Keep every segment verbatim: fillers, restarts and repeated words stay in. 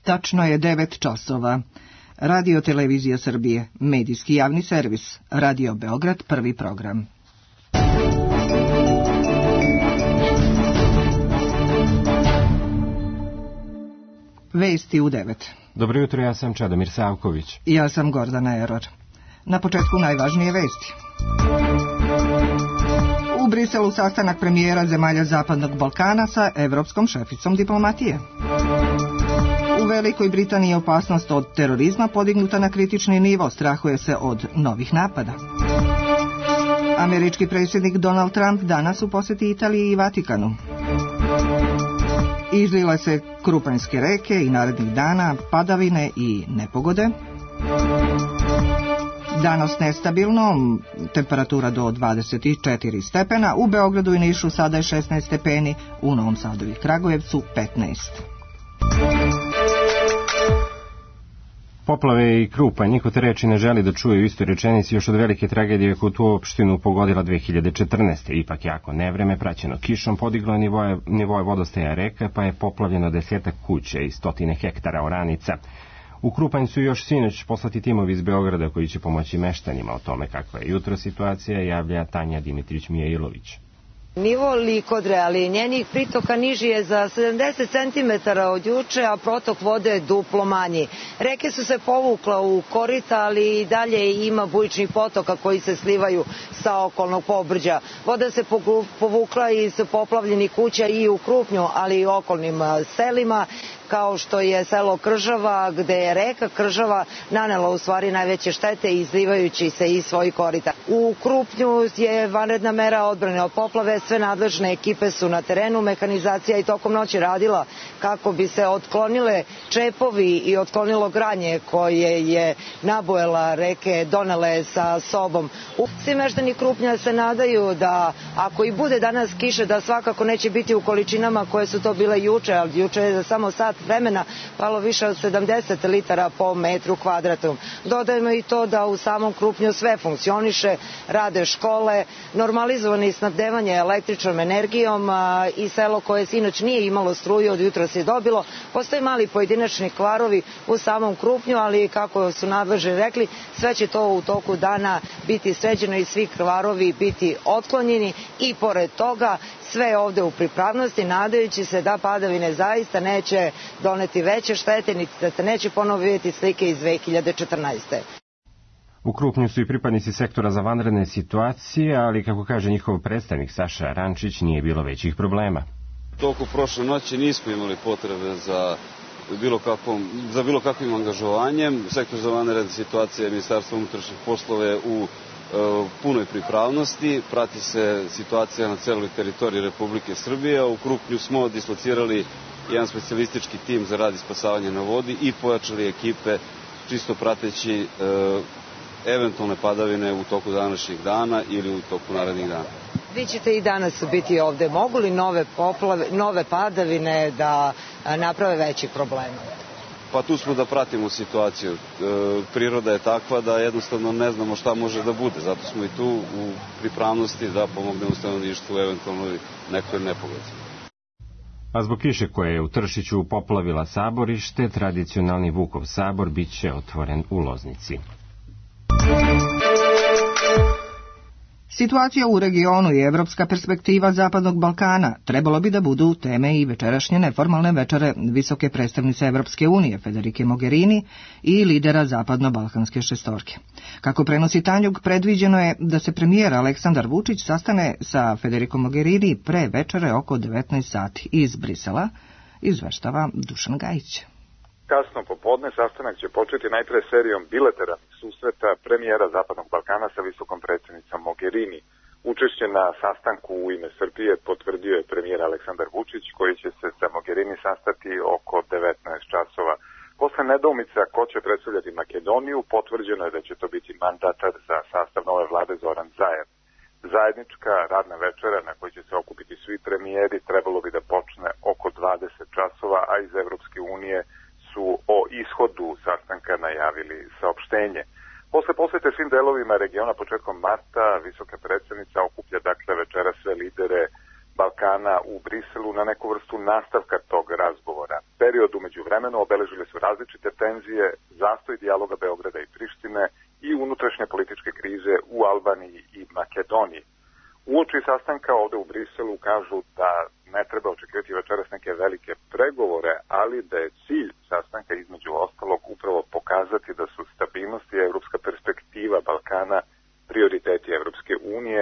Tačno je devet časova. Radio Televizija Srbije, medijski javni servis, Radio Beograd, prvi program. Vesti u devet. Dobro jutro, ja sam Čedomir Savković. Ja sam Gordana Eror. Na početku najvažnije vesti. U Briselu sastanak premijera zemalja Zapadnog Balkana sa evropskom šeficom diplomatije. U Velikoj Britaniji je opasnost od terorizma podignuta na kritični nivo, strahuje se od novih napada. Američki predsjednik Donald Trump danas u posjeti Italiji i Vatikanu. Izlile se Krupanjske reke i narednih dana padavine i nepogode. Danas nestabilno, temperatura do dvadeset četiri stepena, u Beogradu i Nišu sada je šesnaest stepeni, u Novom Sadu i Kragujevcu petnaest. Poplave i Krupanj, niko te reči ne želi da čuje u istoj rečenici još od velike tragedije koju tu opštinu pogodila dve hiljade četrnaeste. Ipak jako nevreme, praćeno kišom, podiglo je nivoje, nivoje vodostaja reka, pa je poplavljeno desetak kuća i stotine hektara oranica. U Krupanj su još sinoć poslati timovi iz Beograda koji će pomoći meštanima. O tome kakva je jutro situacija javlja Tanja Dimitrić-Mijailović. Nivo Likodre, ali njenih pritoka niži je za sedamdeset centimetara od juče, a protok vode je duplo manji. Reke su se povukla u korita, ali i dalje ima bujičnih potoka koji se slivaju sa okolnog pobrđa. Voda se povukla iz poplavljenih kuća i u Krupnju, ali i okolnim selima, kao što je selo Kržava, gde je reka Kržava nanela u stvari najveće štete izlivajući se iz svojih korita. U Krupnju je vanredna mera odbrane od poplave, sve nadležne ekipe su na terenu, mehanizacija i tokom noći radila kako bi se otklonile čepovi i otklonilo granje koje je nabojela reke donele sa sobom. Svi meštani Krupnja se nadaju da ako i bude danas kiše, da svakako neće biti u količinama koje su to bile juče, ali juče je samo sat vremena palo više od sedamdeset litara po metru kvadratnom. Dodajemo i to da u samom Krupnju sve funkcioniše, rade škole, normalizovani snabdevanje električnom energijom i selo koje sinoć nije imalo struju od jutra se dobilo. Postoje mali pojedinačni kvarovi u samom Krupnju, ali kako su nadležni rekli, sve će to u toku dana biti sređeno i svi kvarovi biti otklonjeni i pored toga sve ovde u pripravnosti, nadajući se da padavine zaista neće doneti veće štete, niti da se neće ponovo vidjeti slike iz dve hiljade četrnaeste. U Krupnju su i pripadnici sektora za vanredne situacije, ali kako kaže njihov predstavnik Saša Rančić, nije bilo većih problema. Toku prošle noći nismo imali potrebe za bilo kakvom, za bilo kakvim angažovanjem. Sektor za vanredne situacije Ministarstva unutrašnjih poslova je u punoj pripravnosti, prati se situacija na celoj teritoriji Republike Srbije. U Krupnju smo dislocirali jedan specijalistički tim za rad i spasavanje na vodi i pojačali ekipe čisto prateći e, eventualne padavine u toku današnjih dana ili u toku narednih dana. Vi ćete i danas biti ovde. Mogu li nove poplave, nove padavine da naprave veći problema? Pa tu smo da pratimo situaciju. E, priroda je takva da jednostavno ne znamo šta može da bude. Zato smo i tu u pripravnosti da pomognemo stanovništvu u eventualnoj nekoj nepogodi. A zbog kiše koja je u Tršiću poplavila saborište, tradicionalni Vukov sabor bit će otvoren u Loznici. Situacija u regionu i evropska perspektiva Zapadnog Balkana trebalo bi da budu teme i večerašnje neformalne večere visoke predstavnice Evropske unije Federike Mogherini i lidera Zapadno-balkanske šestorke. Kako prenosi Tanjug, predviđeno je da se premijer Aleksandar Vučić sastane sa Federikom Mogherini pre večere oko devetnaest sati iz Brisela, izveštava Dušan Gajić. Kasno popodne sastanak će početi najpre serijom bilateralnih susreta premijera Zapadnog Balkana sa visokom predsednicom Mogherini. Učešće na sastanku u ime Srbije potvrdio je premijer Aleksandar Vučić, koji će se sa Mogherini sastati oko devetnaest časova. Posle nedoumica ko će predstavljati Makedoniju, potvrđeno je da će to biti mandatar za sastav nove vlade Zoran Zaev. Zajednička radna večera na kojoj će se okupiti svi premijeri trebalo bi da počne oko dvadeset časova, a iz Evropske unije su o ishodu sastanka najavili saopštenje. Posle posete svim delovima regiona početkom marta, visoka predsednica okuplja dakle večera sve lidere Balkana u Briselu na neku vrstu nastavka tog razgovora. Period umeđu vremenu obeležile su različite tenzije, zastoj dijaloga Beograda i Prištine i unutrašnje političke krize u Albaniji i Makedoniji. Uoči sastanka ovde u Briselu kažu da ne treba očekivati večeras neke velike pregovore, ali da je cilj sastanka između ostalog upravo pokazati da su stabilnost i evropska perspektiva Balkana prioriteti Evropske unije,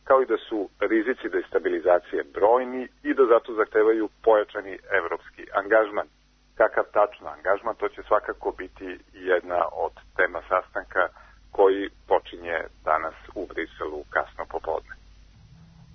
kao i da su rizici destabilizacije brojni i da zato zahtevaju pojačani evropski angažman. Kakav tačno angažman, to će svakako biti jedna od tema sastanka koji počinje danas u Briselu kasno popodne.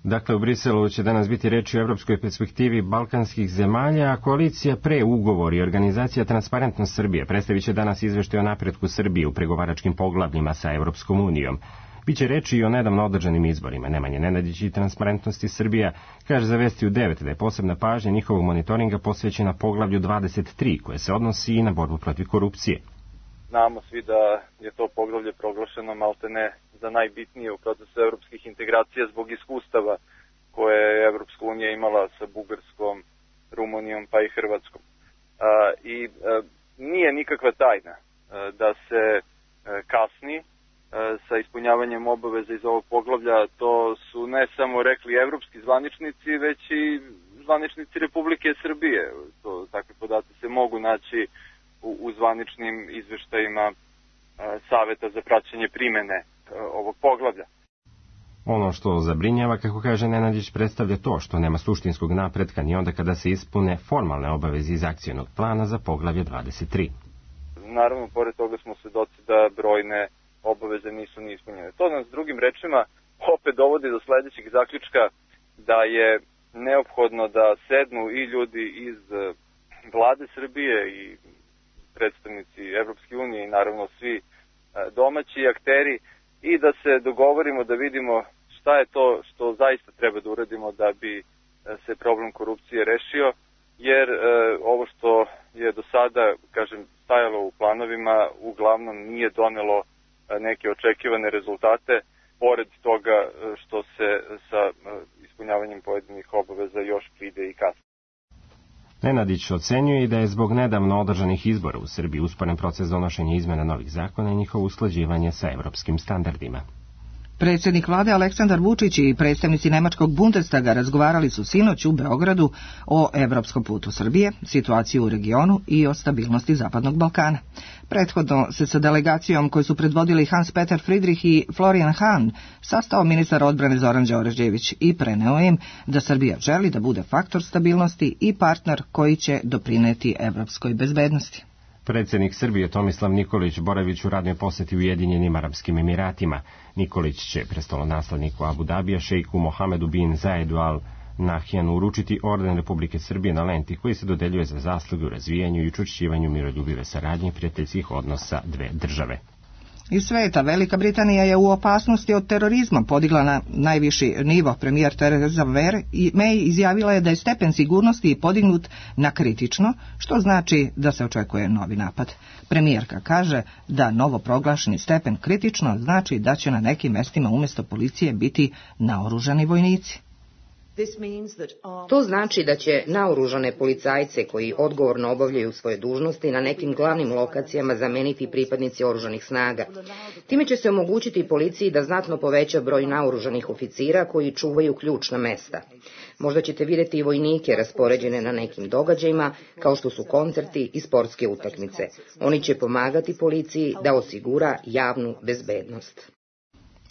Dakle, u Briselu će danas biti reči o evropskoj perspektivi balkanskih zemalja, a koalicija pre ugovor i organizacija Transparentnost Srbije predstavit će danas izveštaj o napretku Srbije u pregovaračkim poglavljima sa Evropskom unijom. Biće reči i o nedavno održanim izborima. Nemanje Nenadić i Transparentnosti Srbija kaže za Vesti u devet da je posebna pažnja njihovog monitoringa posvećena poglavlju dvadeset tri, koje se odnosi i na borbu protiv korupcije. Znamo svi da je to poglavlje proglašeno maltene za najbitnije u procesu evropskih integracija zbog iskustava koje je Evropska unija imala sa Bugarskom, Rumunijom pa i Hrvatskom. A, I a, nije nikakva tajna a, da se a, kasni sa ispunjavanjem obaveza iz ovog poglavlja. To su ne samo rekli evropski zvaničnici, već i zvaničnici Republike Srbije. To, takve podaci se mogu naći u, u zvaničnim izveštajima Saveta za praćenje primene ovog poglavlja. Ono što zabrinjava, kako kaže Nenadić, predstavlja to što nema suštinskog napretka ni onda kada se ispune formalne obaveze iz akcionog plana za poglavlje dvadeset tri. Naravno, pored toga smo svedoci da brojne obaveze nisu ni ispunjene. To nas drugim rečima opet dovodi do sledećeg zaključka da je neophodno da sednu i ljudi iz vlade Srbije i predstavnici Evropske unije i naravno svi domaći akteri i da se dogovorimo da vidimo šta je to što zaista treba da uradimo da bi se problem korupcije rešio, jer e, ovo što je do sada, kažem, stajalo u planovima uglavnom nije donelo neke očekivane rezultate, pored toga što se sa ispunjavanjem pojedinih obaveza još pride i kasnije. Nenadić ocenjuje i da je zbog nedavno održanih izbora u Srbiji usporen proces donošenja izmena novih zakona i njihovo usklađivanje sa evropskim standardima. Predsjednik vlade Aleksandar Vučić i predstavnici nemačkog Bundestaga razgovarali su sinoć u Beogradu o evropskom putu Srbije, situaciju u regionu i o stabilnosti Zapadnog Balkana. Prethodno se sa delegacijom koju su predvodili Hans-Peter Friedrich i Florian Hahn sastao ministar odbrane Zoran Đorđević i preneo im da Srbija želi da bude faktor stabilnosti i partner koji će doprineti evropskoj bezbednosti. Predsjednik Srbije Tomislav Nikolić boravić u radnoj poseti Ujedinjenim Arapskim Emiratima. Nikolić će prestolonasledniku Abu Dabija šejku Mohamedu bin Zaedu Al Nahjanu uručiti orden Republike Srbije na lenti koji se dodeljuje za zasluge u razvijanju i učvršćivanju miroljubive saradnje i prijateljskih odnosa dve države. Iz sveta Velika Britanija je u opasnosti od terorizma podigla na najviši nivo. Premijer Theresa May izjavila je da je stepen sigurnosti podignut na kritično, što znači da se očekuje novi napad. Premijerka kaže da novo proglašeni stepen kritično znači da će na nekim mestima umjesto policije biti naoružani vojnici. To znači da će naoružane policajce koji odgovorno obavljaju svoje dužnosti na nekim glavnim lokacijama zameniti pripadnici oružanih snaga. Time će se omogućiti policiji da znatno poveća broj naoružanih oficira koji čuvaju ključna mesta. Možda ćete vidjeti i vojnike raspoređene na nekim događajima, kao što su koncerti i sportske utakmice. Oni će pomagati policiji da osigura javnu bezbednost.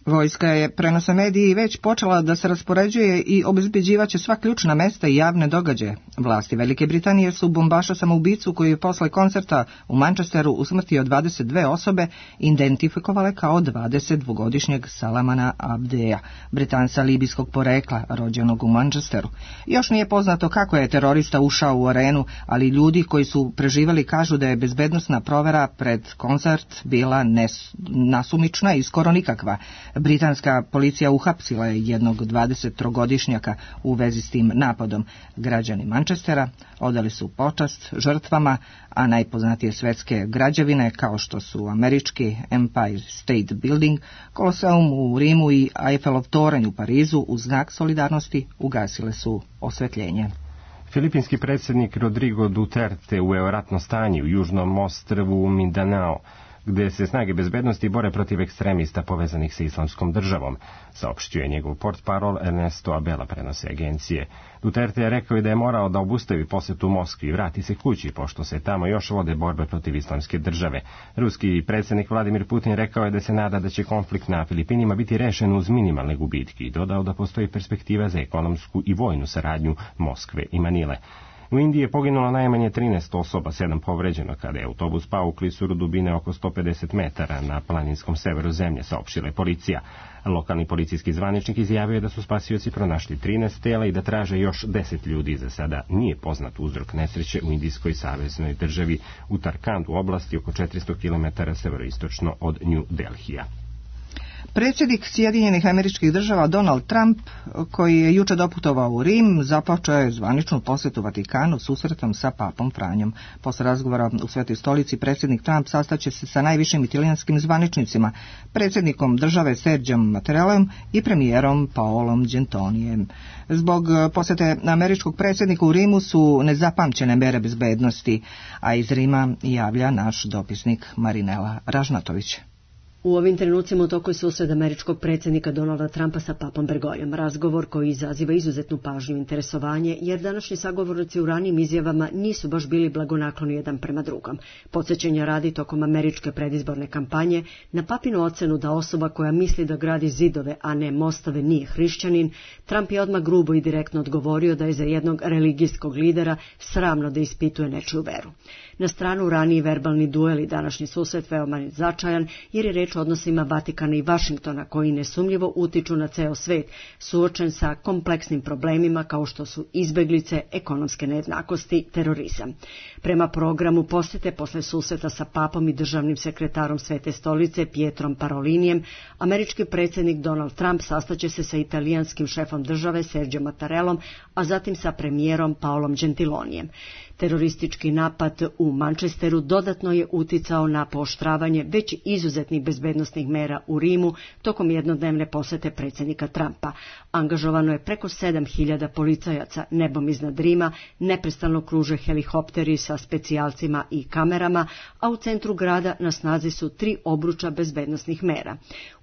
Vojska je, prenose mediji, već počela da se raspoređuje i obezbeđivaće sva ključna mesta i javne događaje. Vlasti Velike Britanije su bombaša samoubicu koji je posle koncerta u Manchesteru usmrtio dvadeset dve osobe identifikovale kao dvadesetdvogodišnjeg Salamana Abdeja, Britanca libijskog porekla, rođenog u Manchesteru. Još nije poznato kako je terorista ušao u arenu, ali ljudi koji su preživali kažu da je bezbednosna provera pred koncert bila nes, nasumična i skoro nikakva. Britanska policija uhapsila je jednog dvadesettrogodišnjaka u vezi s tim napadom. Građani Manchestera odali su počast žrtvama, a najpoznatije svetske građevine kao što su američki Empire State Building, Koloseum u Rimu i Eiffelov toranj u Parizu u znak solidarnosti ugasile su osvetljenje. Filipinski predsjednik Rodrigo Duterte uveo je ratno stanje u južnom ostrvu Mindanao, gde se snage bezbednosti bore protiv ekstremista povezanih sa islamskom državom, saopštio je njegov portparol Ernesto Abela, prenose agencije. Duterte je rekao i da je morao da obustavi posetu Moskvi i vrati se kući, pošto se tamo još vode borbe protiv islamske države. Ruski predsjednik Vladimir Putin rekao je da se nada da će konflikt na Filipinima biti rešen uz minimalne gubitke i dodao da postoji perspektiva za ekonomsku i vojnu saradnju Moskve i Manile. U Indiji je poginulo najmanje trinaest osoba, sedam povređeno kada je autobus pao u klisuru dubine oko sto pedeset metara na planinskom severu zemlje, saopštila je policija. Lokalni policijski zvaničnik izjavio je da su spasioci pronašli trinaest tela i da traže još deset ljudi. Za sada nije poznat uzrok nesreće u indijskoj saveznoj državi Uttarakhand u oblasti oko četiristo kilometara severoistočno od New Delhija. Predsjednik Sjedinjenih Američkih Država Donald Trump, koji je juče doputovao u Rim, započeo je zvaničnu posjetu Vatikanu susretom sa papom Franjom. Posle razgovora u Svetoj stolici, predsjednik Trump sastaće se sa najvišim italijanskim zvaničnicima, predsjednikom države Sergiom Mattarellom i premijerom Paolom Gentilijem. Zbog posjete američkog predsjednika u Rimu su nezapamćene mere bezbednosti, a iz Rima javlja naš dopisnik Marinela Ražnatović. U ovim trenucima u toku je susret američkog predsjednika Donalda Trumpa sa papom Bergogljem, razgovor koji izaziva izuzetnu pažnju i interesovanje, jer današnji sagovornici u ranijim izjavama nisu baš bili blagonakloni jedan prema drugom. Podsjećanja radi tokom američke predizborne kampanje na papinu ocenu da osoba koja misli da gradi zidove, a ne mostove, nije hrišćanin, Trump je odmah grubo i direktno odgovorio da je za jednog religijskog lidera sramno da ispituje nečiju veru. Na stranu raniji verbalni duel i današnji susret veoma je značajan, jer je reč o odnosima Vatikana i Vašingtona koji nesumnjivo utiču na ceo svet, suočen sa kompleksnim problemima kao što su izbeglice, ekonomske nejednakosti, terorizam. Prema programu posjete posle susreta sa papom i državnim sekretarom Svete stolice Pietrom Parolinijem, američki predsjednik Donald Trump sastaće se sa italijanskim šefom države Sergiom Mattarellom, a zatim sa premijerom Paolom Gentilonijem. Teroristički napad u Manchesteru dodatno je uticao na pooštravanje već izuzetnih bezbednosnih mera u Rimu tokom jednodnevne posete predsjednika Trumpa. Angažovano je preko sedam hiljada policajaca nebom iznad Rima, neprestano kruže helikopteri sa specijalcima i kamerama, a u centru grada na snazi su tri obruča bezbednosnih mera.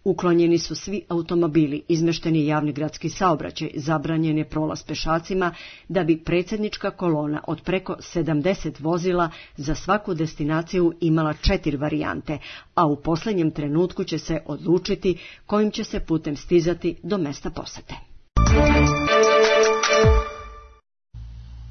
Uklonjeni su svi automobili, izmešten je javni gradski saobraćaj, zabranjen je prolaz pešacima, da bi predsjednička kolona od preko sedamdeset vozila za svaku destinaciju imala četiri varijante, a u posljednjem trenutku će se odlučiti kojim će se putem stizati do mesta posete.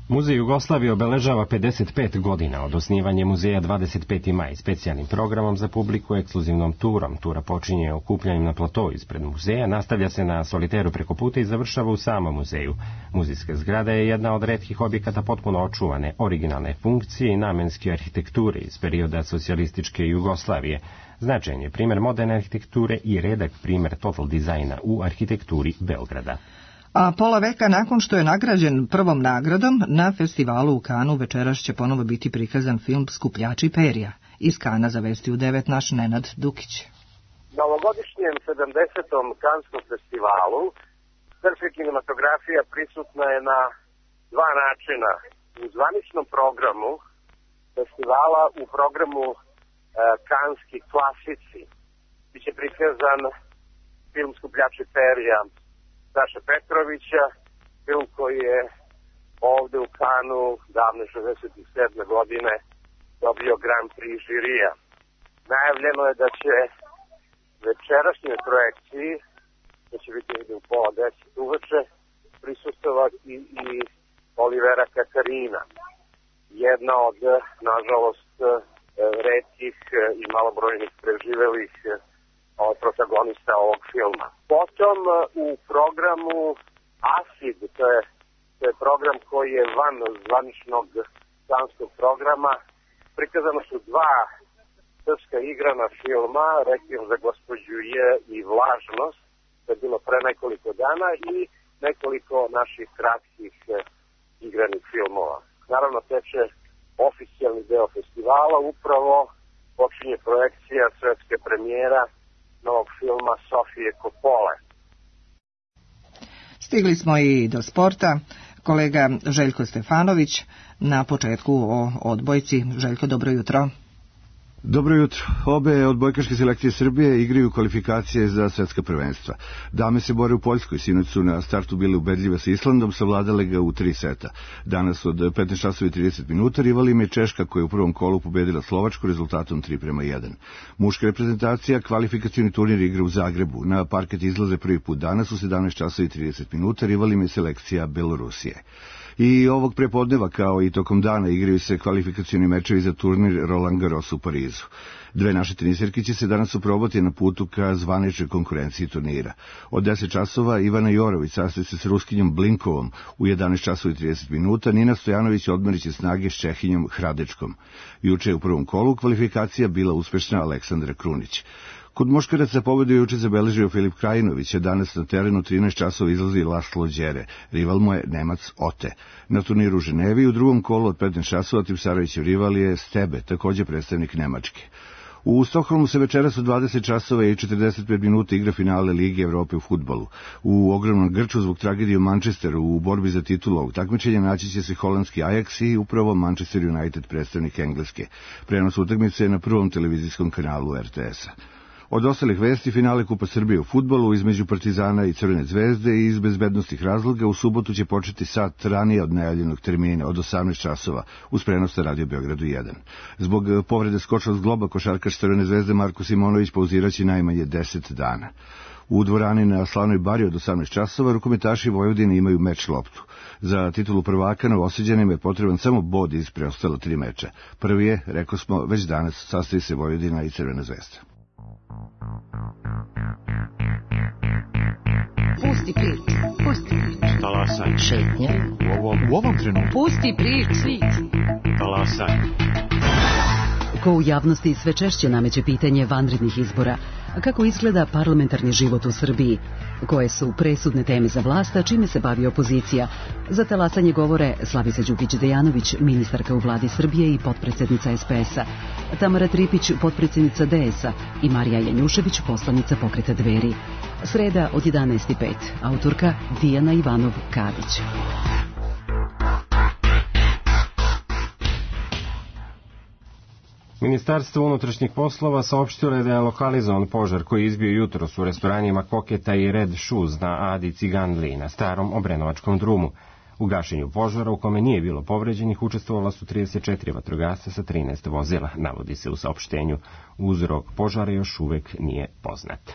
Muzej Jugoslavije obeležava pedeset pet godina od osnivanja muzeja dvadeset peti maj specijalnim programom za publiku, ekskluzivnom turom. Tura počinje okupljanjem na platou ispred muzeja, nastavlja se na soliteru preko puta i završava u samom muzeju. Muzejska zgrada je jedna od retkih objekata potpuno očuvane, originalne funkcije i namenske arhitekture iz perioda socijalističke Jugoslavije. Značajan je primjer moderne arhitekture i redak primjer total dizajna u arhitekturi Beograda. A pola veka nakon što je nagrađen prvom nagradom, na festivalu u Kanu večeras će ponovo biti prikazan film Skupljači perja. Iz Kana za Vesti u devet naš Nenad Dukić. Na ovogodišnjem sedamdesetom Kanskom festivalu srpska kinematografija prisutna je na dva načina. U zvaničnom programu festivala, u programu e, Kanski klasici, biće prikazan film Skupljači perja Saše Petrovića, film koji je ovde u Kanu davne šezdeset sedme godine dobio Grand Prix žirija. Najavljeno je da će večerašnjoj projekciji, da će biti u pola deset uveče, prisustovati i Olivera Katarina, jedna od, nažalost, retkih i malobrojnih preživelih protagonista ovog filma. Potom u programu Asid, to je, to je program koji je van zvaničnog kanskog programa, prikazano su dva srpska igrana filma Rekvijam za gospođu je i Vlažnost, to je bilo pre nekoliko dana, i nekoliko naših kratkih igranih filmova. Naravno, teče oficijalni deo festivala, upravo počinje projekcija svetske premijera novog filma Sofije Kopole. Stigli smo i do sporta. Kolega Željko Stefanović na početku o odbojci. Željko, dobro jutro. Dobro jutro. Obe odbojkaške selekcije Srbije igraju kvalifikacije za svetska prvenstva. Dame se bore u Poljskoj, sinoć su na startu bile ubedljive sa Islandom, savladale ga u tri seta. Danas od petnaest časova i trideset minuta rival im je Češka, koja je u prvom kolu pobedila Slovačku rezultatom tri prema jedan. Muška reprezentacija kvalifikacioni turnir igra u Zagrebu. Na parket izlaze prvi put danas u sedamnaest časova i trideset minuta, rival im je selekcija Belorusije. I ovog prepodneva, kao i tokom dana, igraju se kvalifikacioni mečevi za turnir Roland Garros u Parizu. Dve naše tenisirke će se danas uprobati na putu ka zvaničnoj konkurenciji turnira. Od deset časova Ivana Jorović sastaje se s Ruskinjom Blinkovom, u jedanaest časova i trideset minuta Nina Stojanović odmerit će snage s Čehinjom Hradečkom. Juče je u prvom kolu kvalifikacija bila uspešna Aleksandra Krunić. Kod muškaraca pobedu je juče zabeležio Filip Krajinović, a danas na terenu trinaest časova izlazi Laslo Đere. Rival mu je Nemac Ote. Na turniru u Ženevi u drugom kolu od petnaest časova Tipsarevićev rival je Stebe, takođe predstavnik Nemačke. U Stokholmu se večeras u dvadeset časova i četrdeset pet minuta igra finale Lige Evrope u fudbalu. U ogromnom grču zbog tragedije u Manchesteru u borbi za titulu ovog takmičenja naći će se holandski Ajax i upravo Manchester United, predstavnik Engleske. Prenos utakmice je na prvom televizijskom kanalu er te es-a. Od ostalih vesti, finale Kupa Srbije u fudbalu između Partizana i Crvene zvezde i iz bezbednostnih razloga u subotu će početi sat ranije od najavljenog termina, od osamnaest časova, uz prenos na Radio Beogradu jedan. Zbog povrede skočnog zgloba košarkaš Crvene zvezde Marko Simonović pauziraće najmanje deset dana. U dvorani na Slavnoj bari od osamnaest časova rukometaši Vojvodine imaju meč loptu. Za titulu prvaka Novosađanima je potreban samo bod iz preostala tri meča. Prvi je, rekao smo, već danas sastoji se Vojvodina i Crvena zvezda. Pusti priču, pusti priču. Talasaj. Šetnje. U ovom, u ovom trenutku. Pusti priču. Talasaj. Ko u javnosti sve češće nameće pitanje vanrednih izbora. Kako izgleda parlamentarni život u Srbiji? Koje su presudne teme za vlast, a čime se bavi opozicija? Za talasanje govore Slavica Đukić-Dejanović, ministarka u vladi Srbije i potpredsednica es pe es-a, Tamara Tripić, potpredsednica de es-a i Marija Janjušević, poslanica Pokreta Dveri. Sreda od jedanaest i pet, autorka Dijana Ivanov-Kadić. Ministarstvo unutrašnjih poslova saopštilo je da je lokalizovan požar koji je izbio jutros u restoranima Koketa i Red Shoes na Adi Ciganli na starom Obrenovačkom drumu. U gašenju požara, u kome nije bilo povređenih, učestvovala su trideset četiri vatrogasca sa trinaest vozila, navodi se u saopštenju. Uzrok požara još uvek nije poznat.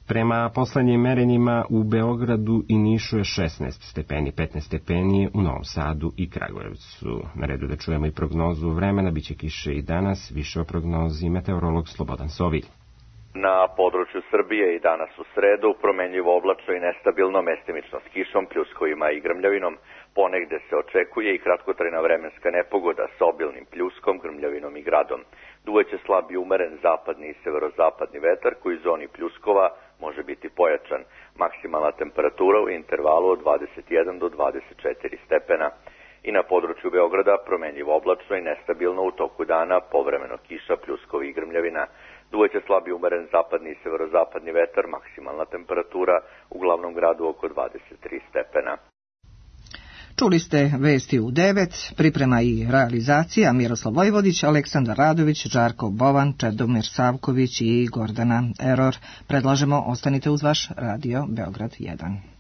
Prema poslednjim merenjima u Beogradu i Nišu je šesnaest stepeni, petnaest stepeni u Novom Sadu i Kragujevcu. Na redu da čujemo i prognozu vremena, biće kiše i danas, više o prognozi meteorolog Slobodan Sovilj. Na području Srbije i danas u sredu promenljivo oblačno i nestabilno, mestimično s kišom, pljuskovima i grmljavinom. Ponegde se očekuje i kratkotrajna vremenska nepogoda sa obilnim pljuskom, grmljavinom i gradom. Duvaće slab i umeren zapadni i severozapadni vetar koji u zoni pljuskova može biti pojačan. Maksimalna temperatura u intervalu od dvadeset jedan do dvadeset četiri stepena. I na području Beograda promenljivo oblačno i nestabilno, u toku dana povremeno kiša, pljuskovi i grmljavina. Duvaće slab i umeren zapadni i severozapadni vetar, maksimalna temperatura u glavnom gradu oko dvadeset tri stepena. Čuli ste vesti u devet, priprema i realizacija Miroslav Vojvodić, Aleksandar Radović, Žarko Bovan, Čedomir Savković i Gordana Eror. Predlažemo, ostanite uz vaš Radio Beograd jedan.